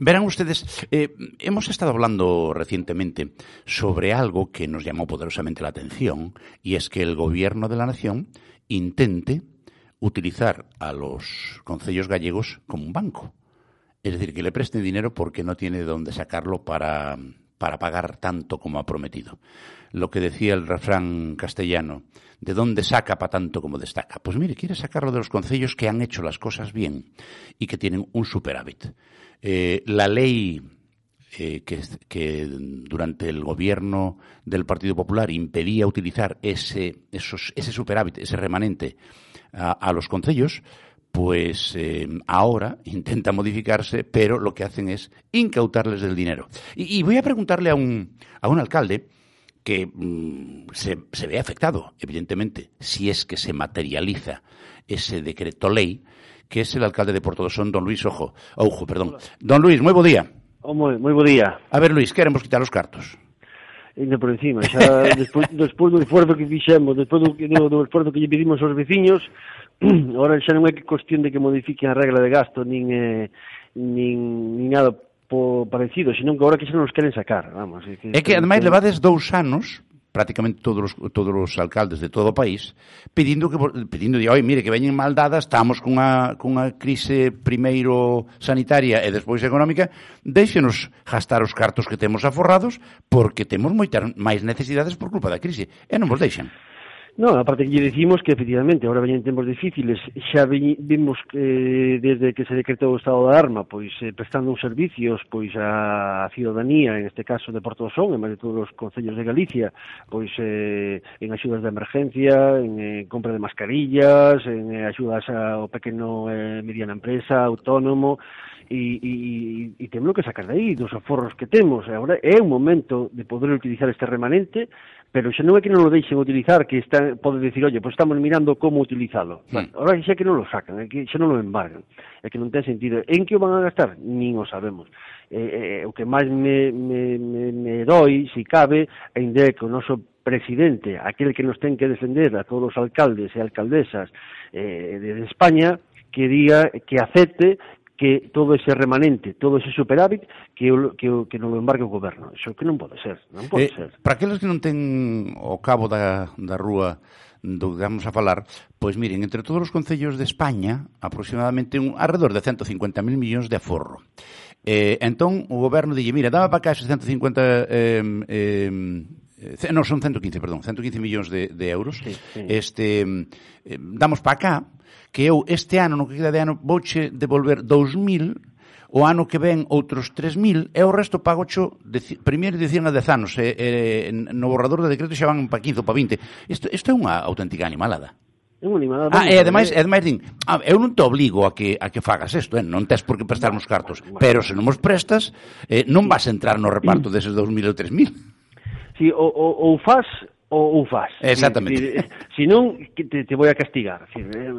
Verán ustedes, hemos estado hablando recientemente sobre algo que nos llamó poderosamente la atención, y es que el Gobierno de la Nación intente utilizar a los concellos gallegos como un banco. Es decir, que le presten dinero porque no tiene de dónde sacarlo para pagar tanto como ha prometido. Lo que decía el refrán castellano, ¿de dónde saca para tanto como destaca? Pues mire, quiere sacarlo de los concellos que han hecho las cosas bien y que tienen un superávit. La ley que durante el gobierno del Partido Popular impedía utilizar ese superávit, ese remanente a los concellos, pues ahora intenta modificarse, pero lo que hacen es incautarles del dinero. Y voy a preguntarle a un alcalde que se ve afectado, evidentemente, si es que se materializa ese decreto ley, que es el alcalde de Portodosón, don Luis Oujo. Don Luis, moi bo día. Moi bo día. A ver, Luis, queremos quitar os cartos. Ainda por encima, xa despois do esforzo que fixemos, despois do esforzo que lle pedimos aos veciños, agora xa non é cuestión de que modifiquen a regla de gasto, nin nada parecido, senón que agora que xa non nos queren sacar, vamos. É que ademais levades 2 anos, prácticamente todos os alcaldes de todo o país, pedindo de, mire, que veñen mal dadas, estamos cunha crise primeiro sanitaria e despois económica, déixenos gastar os cartos que temos aforrados, porque temos moitas máis necesidades por culpa da crise, e non vos deixan. Non, aparte que lle decimos que, efectivamente, agora veñen tempos difíciles, xa vimos que desde que se decretou o estado de alarma, pois prestando uns servicios pois a ciudadanía, en este caso de Portodosón, e máis de todos os concellos de Galicia, pois en axudas de emergencia, en compra de mascarillas, en axudas ao pequeno e mediana empresa, autónomo, e temos que sacar de aí dos aforros que temos. Agora é un momento de poder utilizar este remanente, pero xa non é que non o deixen utilizar, que pode decir, oye, pois estamos mirando como utilizalo. Bueno, agora xa que non lo sacan, é que xa non lo embargan, é que non ten sentido. En que o van a gastar? Nin o sabemos. O que máis me doi, se cabe, ainda é que o noso presidente, aquel que nos ten que defender a todos os alcaldes e alcaldesas de España, que diga, que acepte que todo ese remanente, todo ese superávit, que non lo embargue o goberno. Iso que non pode ser, non pode ser. Para aqueles que non ten o cabo da rúa do que vamos a falar, pois miren, entre todos os concellos de España, aproximadamente alrededor de 150.000 millóns de aforro. Entón, o goberno dille, mira, dame para cá esos 150... son 115 millóns de euros. Sí. Damos para cá, que eu este ano, no que queda de ano, vouche devolver 2.000, o ano que ven outros 3.000, e o resto pago primeiro dicían a 10 anos, no borrador de decreto xa van para 15 ou para 20. Isto é unha auténtica animalada. É unha animalada. E ademais din, eu non te obligo a que fagas isto, non tes por que prestarnos cartos, pero se non mos prestas, non vas a entrar no reparto deses 2.000 ou 3.000. Si, ou faz ou faz. Exactamente. Si non, te voy a castigar.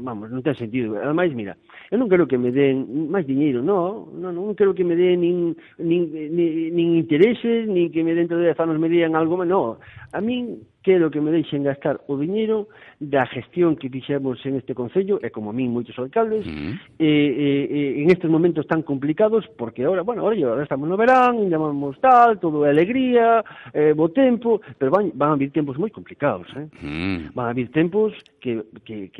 Vamos, non ten sentido. Ademais, mira, eu non quero que me den máis diñeiro, non quero que me den nin intereses, nin que me dentro de 10 anos me digan algo, non. A min quero que me deixen gastar o diñeiro da gestión que fixemos en este concello, e como a min moitos alcaldes, en estes momentos tan complicados, porque ahora estamos no verán, llamamos tal, todo é alegría, bo tempo, pero van a vir tempos moi complicados, van a vir tempos que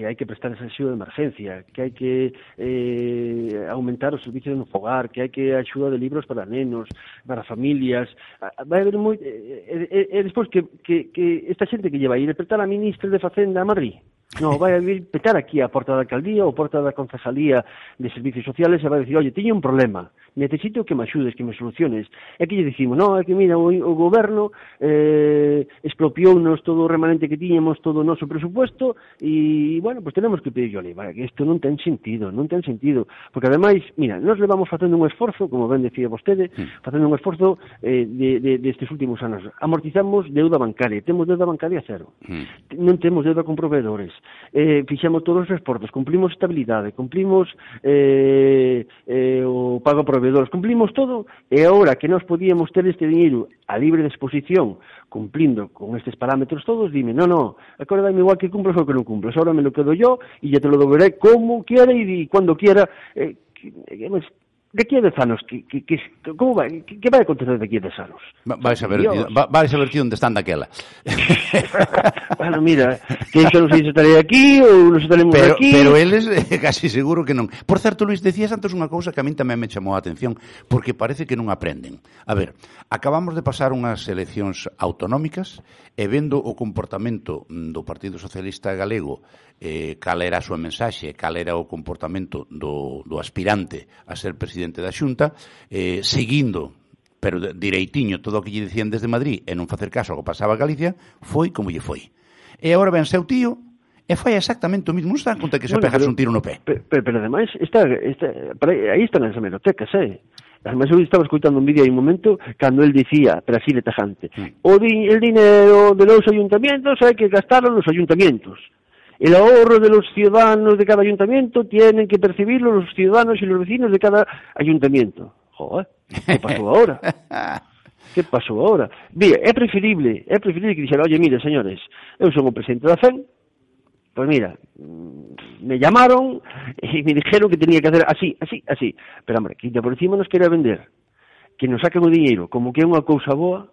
hai que prestar esa axuda de emergencia, que hai que aumentar os servicios no fogar, que hai que axuda de libros para nenos, para familias, vai haber moi... E despois que esta xente que lle vai ir a apretar a ministra de Facenda a Madrid, non, vai a vir petar aquí a porta da alcaldía ou a porta da concejalía de servicios sociales e vai dicir, oye, teño un problema, necesito que me axudes, que me soluciones. É que lle dicimos, non, é que mira, o goberno expropiounos todo o remanente que tiñamos, todo o noso presupuesto, e, bueno, pues tenemos que pedir que isto non ten sentido, porque ademais, mira, nos levamos facendo un esforzo, como ben decía vostede, facendo un esforzo destes últimos anos. Amortizamos deuda bancaria, temos deuda bancaria cero, non temos deuda con proveedores, fixemos todos os exportos, cumplimos estabilidade, cumplimos o pago a proveedores, cumplimos todo, e agora que nós podíamos ter este diñeiro a libre disposición, cumplindo con estes parámetros todos, dime, no, agora dame igual que cumplas ou que non cumplas, ahora me lo quedo yo e ya te lo devolveré como quiera e cuando quiera. de aquí a 10 anos, como vai, que vai acontecer de aquí a 10 anos? Vais a ver ti onde están daquela. Bueno, mira, que non sei se estarei aquí ou nos estaremos aquí. Pero eles casi seguro que non. Por certo, Luis, decías antes unha cousa que a min tamén me chamou a atención, porque parece que non aprenden. A ver, acabamos de pasar unhas eleccións autonómicas e vendo o comportamento do Partido Socialista Galego, cal era a súa mensaxe, cal era o comportamento do aspirante a ser presidente da Xunta, seguindo pero direitiño todo o que lle dicían desde Madrid e non facer caso ao que pasaba a Galicia, foi como lle foi. E agora ven seu tío e fai exactamente o mismo. Non se dan conta que se pegarse un tiro no pé. Pero ademais, aí están as hemerotecas, Ademais, eu estaba escoitando un vídeo aí un momento cando el dicía, pero así de tajante, el dinero de los ayuntamientos hai que gastarlo nos ayuntamientos. El ahorro de los ciudadanos de cada ayuntamiento tienen que percibirlo los ciudadanos y los vecinos de cada ayuntamiento. Joder, ¿qué pasou agora? Que pasou agora? Mira, é preferible que dixera, oye, mire, señores, eu son o presidente da FEN, pois mira, me llamaron e me dijeron que tenía que hacer así. Pero, hombre, que por encima nos queira vender, que nos saquen o diñeiro como que é unha cousa boa,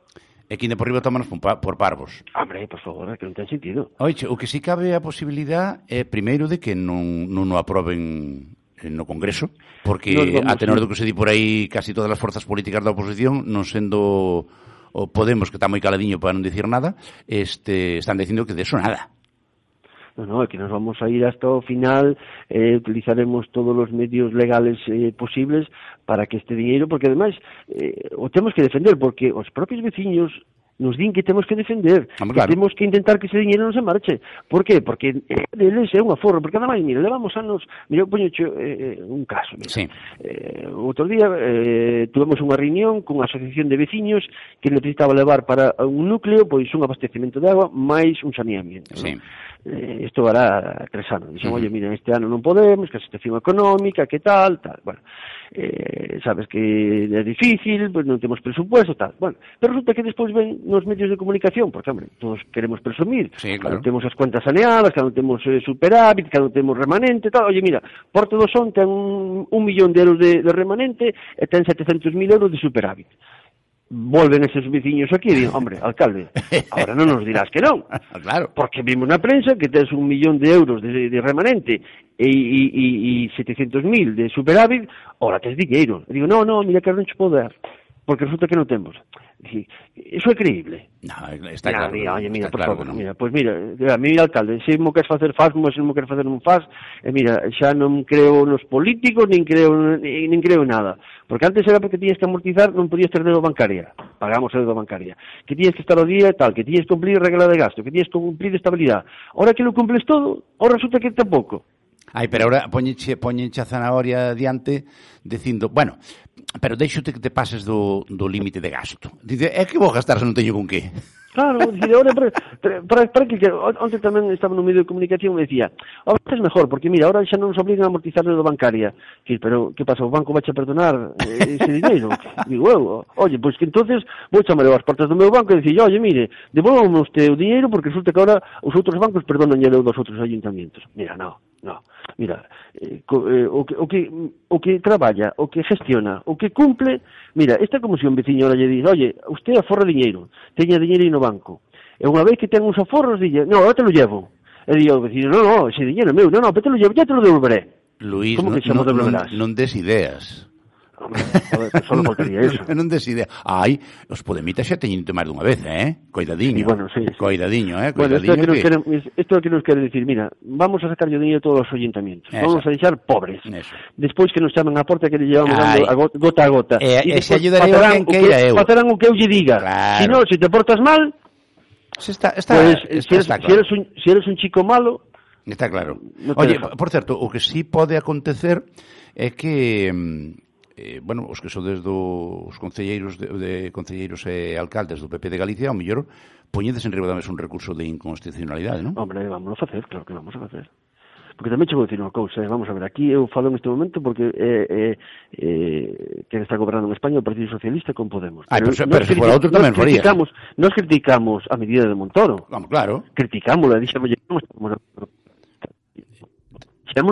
e que por riba tómanos por parvos. Hombre, por favor, que non ten sentido. Oiche, o que si cabe a posibilidade é, primeiro, de que non o aproben no Congreso, porque a tenor do que se di por aí casi todas as forzas políticas da oposición, non sendo o Podemos, que está moi caladiño para non dicir nada, están dicindo que de eso nada. No, é que nos vamos a ir hasta o final, utilizaremos todos os medios legales posibles para que este dinheiro, porque ademais o temos que defender, porque os propios veciños nos din que temos que defender, que temos que intentar que ese dinheiro non se marche. Por qué? Porque deles é un aforro, porque ademais, mira, levamos anos, mira, eu poño un caso, mira. Sí. Outro día tuvemos unha reunión con unha asociación de veciños que necesitaba levar para un núcleo, pois un abastecemento de agua máis un saneamiento. Sí. Isto vará 3 anos. Dixen, oye, mira, este ano non podemos, que a situación económica, que tal. Bueno, sabes que é difícil, pues non temos presupuesto, tal. Bueno, pero resulta que despois ven nos medios de comunicación, porque, hombre, todos queremos presumir. Sí, claro. Cando temos as cuentas saneadas, cando temos superávit, cando temos remanente, tal. Oye, mira, Porto do Son ten 1 millón de euros de remanente e ten 700.000 euros de superávit. Volven eses veciños aquí e din, hombre, alcalde, ahora non nos dirás que non. Claro. Porque vimos na prensa que tens 1 millón de euros de remanente e 700.000 de superávit, ahora tens dinheiro. E digo, no, mira que non che podo dar, porque resulta que non temos. Iso é creíble. No, está claro. Oye, mira, está por claro favor, mira, pois mira, alcalde, se mo queres facer faz, se non mo queres facer non faz, e mira, xa non creo nos políticos, nin creo en nada. Porque antes era porque tiñas que amortizar, non podías ter deuda bancaria, pagamos a deuda bancaria, que tiñas que estar ao día e tal, que tiñas que cumplir regla de gasto, que tiñas que cumplir estabilidade. Ahora que lo cumples todo, ahora resulta que tampouco. Ai, pero ahora poñenche a zanahoria diante dicindo, bueno, pero deixote que te pases do límite de gasto. Dice, é que vou gastar se non teño con que? Claro, ahora para que onte tamén estaba no medio de comunicación e me decía, a veces mejor, porque mira, ahora xa non nos obligan a amortizar deuda bancaria. Pero, que pasa, o banco vai a perdonar ese dinheiro? Digo, oye, pois que entonces vou chamar as portas do meu banco e dicir, oye, mire, devolvamos usted o dinheiro porque resulta que ahora os outros bancos perdonan a deuda aos outros ayuntamientos. Mira, no. Mira, o que traballa, o que gestiona, o que cumple, mira, esta comisión veciña ahora lle dice, oye, usted aforra diñeiro, teña diñeiro no banco, e unha vez que ten uns aforros, dille, no, ahora te lo llevo, e digo, veciño, no, ese diñeiro é meu, no, pero te lo llevo, ya te lo devolveré. Luís, non des ideas. Hombre, só faltaría eso. Non des idea. Ai, os podemitas xa teñen máis dunha vez, Coidadiño. Bueno, sí. Coidadiño, Bueno, isto é que nos quere decir, mira, vamos a sacar o dinero a todos os ayuntamientos. Vamos a deixar pobres. Eso. Despois que nos chamen á porta que le llevamos dando gota a gota. E se ayudarei a quen queira eu. Facerán o que eu lle diga. Claro. Si non, se te portas mal, pues, claro. Si eres un chico malo... Está claro. Oye, por certo, o que sí pode acontecer é que... bueno, os que sodes dos concelleiros concelleiros e alcaldes do PP de Galicia, ao mellor poñedes en riba da mesa un recurso de inconstitucionalidade, non? Hombre, vamos a facer, claro que vamos a facer. Porque tamén chego a decir unha cousa, vamos a ver, aquí eu falo neste momento porque quen está gobernando en España o Partido Socialista con Podemos. Pero se fora outro tamén faría. Nos criticamos a medida de Montoro. Vamos, claro. Criticámosla, dixemos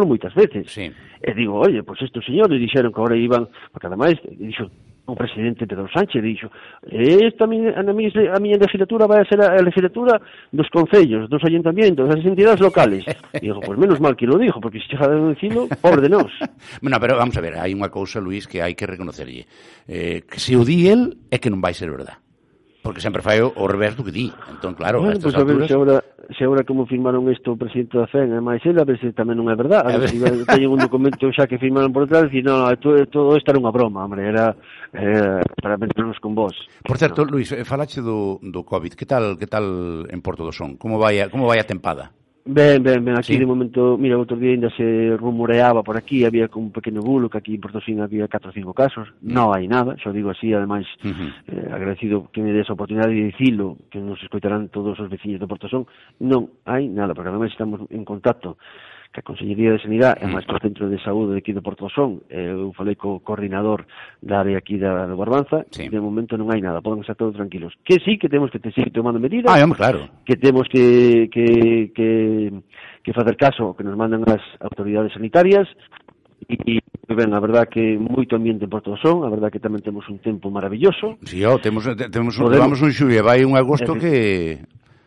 moitas veces. Sí. E digo, oye, pois estes señores dixeron que agora iban, porque ademais, dixo o presidente Pedro Sánchez, dixo, esta a miña legislatura vai a ser a legislatura dos concellos, dos ayuntamientos, das entidades locales. E digo, pois menos mal que lo dijo, porque se chega a decirlo, pobre de nós. Bueno, pero vamos a ver, hai unha cousa, Luís, que hai que reconocerlle. Que se o di el, é que non vai ser verdad. Porque sempre fai o revés do que di. Entón, claro, bueno, a estas alturas... Se agora como firmaron isto o presidente da FEN e máis ele, a ver se tamén non é verdad. A ver se teñen un documento xa que firmaron por detrás e dicir, non, todo isto era unha broma, hombre, era para meternos con vos. Por certo, Luís, falache do COVID. Que tal en Porto do Son? Como vai a tempada? Ben, aquí Sí. De momento, mira, outro día ainda se rumoreaba por aquí, había como un pequeno bulo que aquí en Portosín había 4 ou 5 casos, non hai nada, xo digo así, ademais, agradecido que me des a oportunidade de dicilo, que nos escoitarán todos os veciños de Portosón, non hai nada, porque ademais estamos en contacto que a Consellería de Sanidade e máis co Centro de Saúde de aquí de Portosón, eu falei co coordinador da área aquí da Barbanza, sí. De momento non hai nada, poden estar todos tranquilos. Que sí, que temos que seguir tomando medidas, Hombre, claro. que temos que facer caso ao que nos mandan as autoridades sanitarias, e ben, a verdad que moito ambiente en Porto do Son, a verdad que tamén temos un tempo maravilloso. Si, levamos un xullo, vai un agosto que...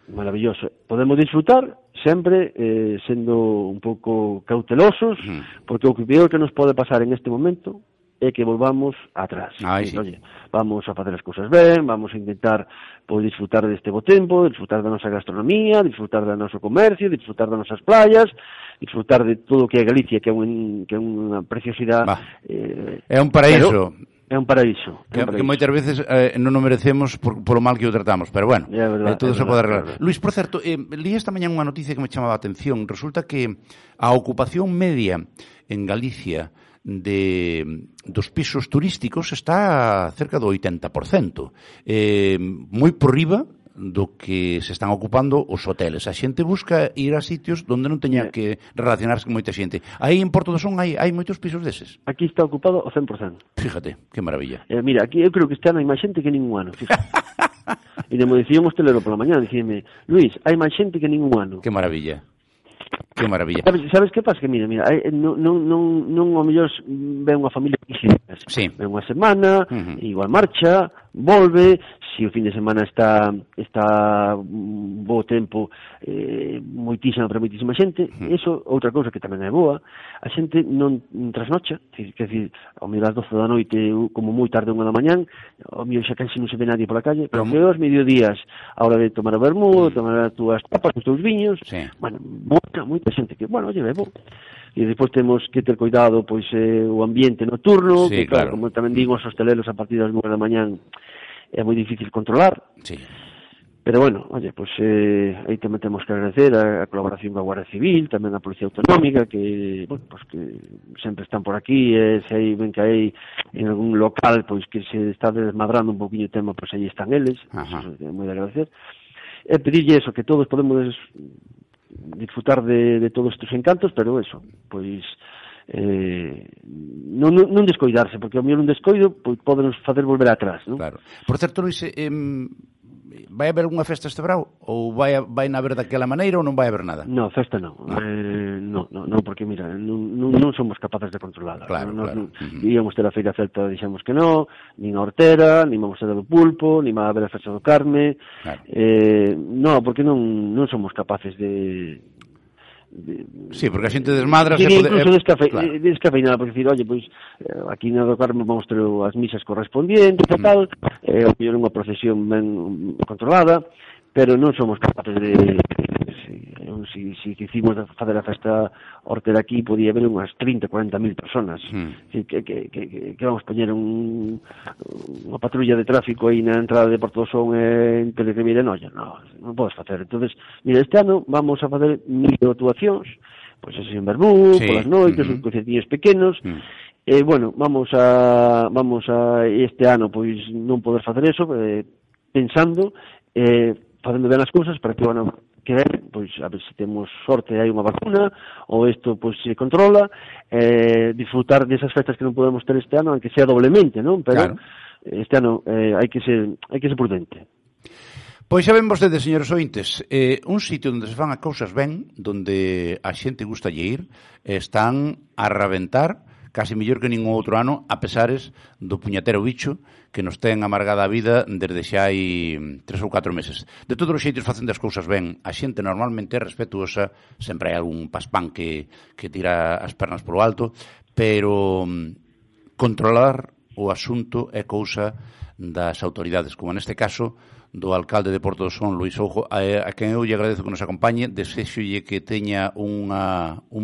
Maravilloso. Podemos disfrutar sempre sendo un pouco cautelosos, porque o que peor que nos pode pasar en este momento é que volvamos atrás. Sí. Oye, vamos a facer as cousas ben, vamos a intentar disfrutar deste bo tempo, disfrutar da nosa gastronomía, disfrutar do noso comercio, disfrutar das nosas playas, disfrutar de todo o que é Galicia, que é unha preciosidade. É un paraíso. É un paraíso. Que moitas veces non o merecemos polo mal que o tratamos, pero bueno, todo se pode arreglar. Luís, por certo, li esta mañá unha noticia que me chamaba a atención. Resulta que a ocupación media en Galicia dos pisos turísticos está cerca do 80%. Moi por riba do que se están ocupando os hoteles. A xente busca ir a sitios onde non teña que relacionarse con moita xente. Aí en Porto do Son hai moitos pisos deses. Aquí está ocupado o 100%. Fíjate, que maravilla. Mira, aquí eu creo que este ano hai máis xente que ningún ano. E me dicía un hostelero pola mañá, dicíame, Luís, hai máis xente que ningún ano. Que maravilla. Que maravilla. Sabes que pasa? Que mira, non ao mellor ven unha familia que sí. Ven unha semana, igual marcha, volve, se o fin de semana está bo tempo, moitísima xente, eso outra cousa que tamén é boa, a xente non trasnocha, que decir, ao mellor ás 12 da noite, como moi tarde 1 da mañán, ao mellor xa casi non se ve nadie pola calle, pero que aos mediodías, a hora de tomar o vermú, tomar as túas tapas, os teus viños, bueno, moita xente que, bueno, oye, bebo. E depois temos que ter cuidado, pois, o ambiente nocturno, que, claro, como tamén digo, os hosteleros a partir das 9 da mañán é moi difícil controlar. Sí. Pero bueno, oye, pois aí tamén temos que agradecer a colaboración coa Guardia Civil, tamén a Policía Autonómica, que, bueno, pois que sempre están por aquí, se aí ven que hai en algún local, pois que se está desmadrando un poquinho o tema, pois aí están eles, eso é moi de agradecer. E pedirlle eso, que todos podemos disfrutar de todos estes encantos, pero eso, pois non descoidarse, porque ao mellor un descoido pois podenos facer volver atrás, non? Claro. Por certo, Luís, vai haber unha festa este verão? Ou vai haber daquela maneira ou non vai haber nada? No, festa non. Non, porque mira, non somos capaces de controlarla. Claro. Íamos ter a Feira Celta, dixemos que non, nin a Hortera, nin vamos ter a do Pulpo, nin vai haber a festa do Carme. Claro. Non, porque non somos capaces de sí, porque a xente desmadra incluso descafeinada, porque decir, oye, pois aquí na do Carme vamos ter as misas correspondientes e tal, o mellor unha procesión ben controlada, pero non somos capaces de si quicimos fazer a festa hortera aquí, podía haber unhas 30-40 mil personas. Que vamos poñer unha patrulla de tráfico aí na entrada de Porto do Son en Telereviere, non podes facer. Entonces, mira, este ano vamos a facer 1000 actuacións, pois así en Bermú, polas noites, uns concertinhos pequenos, bueno, vamos a este ano pois non poder facer eso, pensando, facendo ben as cousas para que o ano que ven, pois a ver se temos sorte e hai unha vacuna, ou isto pois se controla, disfrutar desas festas que non podemos ter este ano, aunque sea doblemente, non? Pero este ano hai que ser prudente. Pois xa ven vostedes, señores ointes, un sitio onde se fan as cousas ben, donde a xente gusta lle ir, están a reventar casi mellor que ningún outro ano, a pesares do puñetero bicho que nos ten amargada a vida desde xa hai 3 ou 4 meses. De todos os xeitos facendo as cousas ben, a xente normalmente é respetuosa, sempre hai algún paspán que tira as pernas polo alto, pero controlar o asunto é cousa das autoridades, como neste caso do alcalde de Porto do Son, Luís Oujo, a quen eu lle agradezo que nos acompañe, desexolle que teña un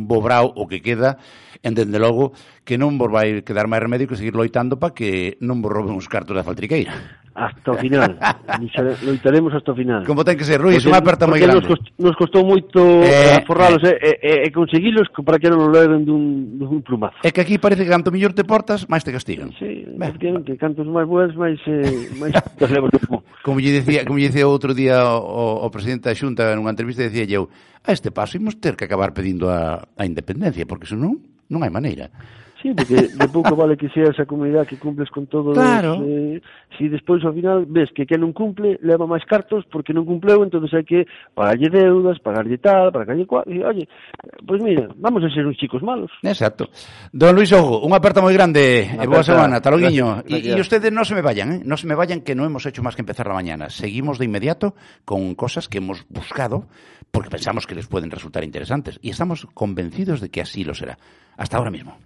bo brao o que queda, en dende logo que non vos vai quedar máis remedio que seguir loitando para que non vos roben os cartos da faltriqueira. Hasta o final, loitaremos hasta o final. Como ten que ser, Ruiz, unha aperta moi grande. Nos costou moito aforralos e conseguilos para que non nos leven dun plumazo. É que aquí parece que canto mellor te portas, máis te castigan. Sí, efectivamente, cantos máis boas, máis te levas do fumo. Como lle dicía outro día o presidente da Xunta nunha entrevista, decía eu, a este paso imos ter que acabar pedindo a independencia, porque senón non hai maneira. Sí, porque de pouco vale que sea esa comunidade que cumples con todos. Claro. Si despois ao final ves que non cumple, leva máis cartos porque non cumpleu, entón hai que pagarlle deudas, pagarlle tal, pagarlle cual. E, oye, pois mira, vamos a ser uns chicos malos. Exacto. Don Luís Oujo, unha aperta moi grande e boa semana. Hasta loguiño. E ustedes non se me vayan, non se me vayan, que non hemos hecho máis que empezar la mañana. Seguimos de inmediato con cosas que hemos buscado porque pensamos que les pueden resultar interesantes y estamos convencidos de que así lo será. Hasta ahora mismo.